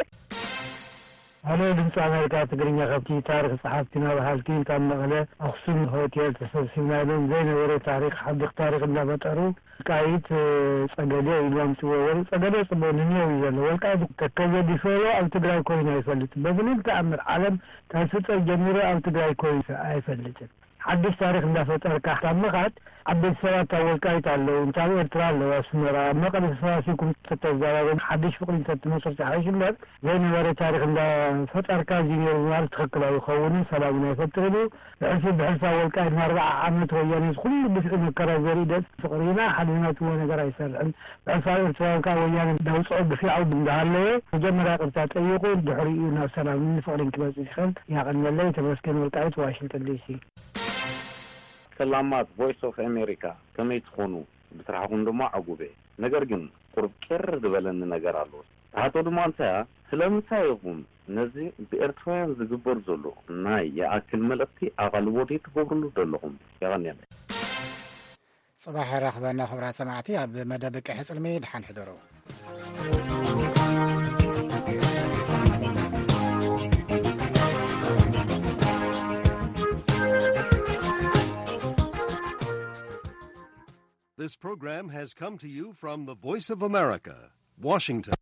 ሃሎ ድምፂ ኣሜሪካ ትግርኛ፣ ካብቲ ታሪኽ ጸሓፍቲ ናብ ሃልኪን ካብ መቐለ ኣኽሱም ሆቴል ተሰብሲብና ኢሎም ዘይነበረ ታሪኽ ሓድሽ ታሪኽ እንዳፈጠሩ፣ ወልቃይት፣ ጸገዴ ኢሉ ኣምጽዎ። ወል-፣ ጸገዴ ጽቡቕ ንኔው እዩ ዘሎ። ወልቃይት ተከዘ ዲፈሮ ኣብ ትግራይ ኮይኑ ኣይፈልጥን። በምንም ተኣምር ዓለም ካብ ዝፍጠር ጀሚሩ ኣብ ትግራይ ኮይኑ ኣይፈልጥን። ሓድሽ ታሪኽ እንዳፈጠርካ ካብ ምኻድ ዓበይቲ ሰባት ኣብ ወልቃይት ኣለዉ፣ እንተ ኣብ ኤርትራ ኣለዉ፣ ኣስመራ፣ ኣብ መቐለ ተሰባሲብኩም ተተዛረቡ፣ ሓድሽ ፍቕሪ እንተትመስርቱ ይሓይሽ እምበር፣ ዘይነበረ ታሪኽ እንዳፈጠርካ፣ እዚ ነይሩ ምባል ትኽክል ኣይኸውንን፣ ሰላም እውን ኣይፈጥርን እዩ። ብሕልፊ፣ ብሕልፊ ኣብ ወልቃይት ንኣርብዓ ዓመት ወያነ እዚ ኩሉ ግፍዒ መከራ ዘርኢ ደቂ ፍቕሪ ኢና፣ ሓደ ዝመትዎ ነገር ኣይሰርሕን። ብሕልፊ ኣብ ኤርትራ ከኣ ወያነ እንዳውፅኦ ግፍዒ እንዳሃለወ፣ መጀመርያ ይቕርታ ጠይቑ፣ ድሕሪኡ ናብ ሰላምን ፍቕሪን ክመጽእ ይኽእል። ያቐንየለይ። ተመስገን ወልቃይት፣ ዋሽንግተን ዲሲ። ሰላማት ቮይስ ኦፍ ኣሜሪካ፣ ከመይ ትኾኑ? ብስራሕኹም ድማ ዕጉብ እየ። ነገር ግን ቁሩብ ቅር ዝበለኒ ነገር ኣሎ። ትሓቶ ድማ እንታያ፣ ስለምንታይ ኢኹም ነዚ ብኤርትራውያን ዝግበር ዘሎ ናይ ይኣክል መልእኽቲ ኣቓልቦ ዘይትገብርሉ ዘለኹም? የቐንየለይ። ጽባሕ የራኽበና ክቡራት ሰማዕቲ ኣብ መደብ ቅሒ ጽልሚ። ደሓን ሕደሩ። This program has come to you from the Voice of America, Washington.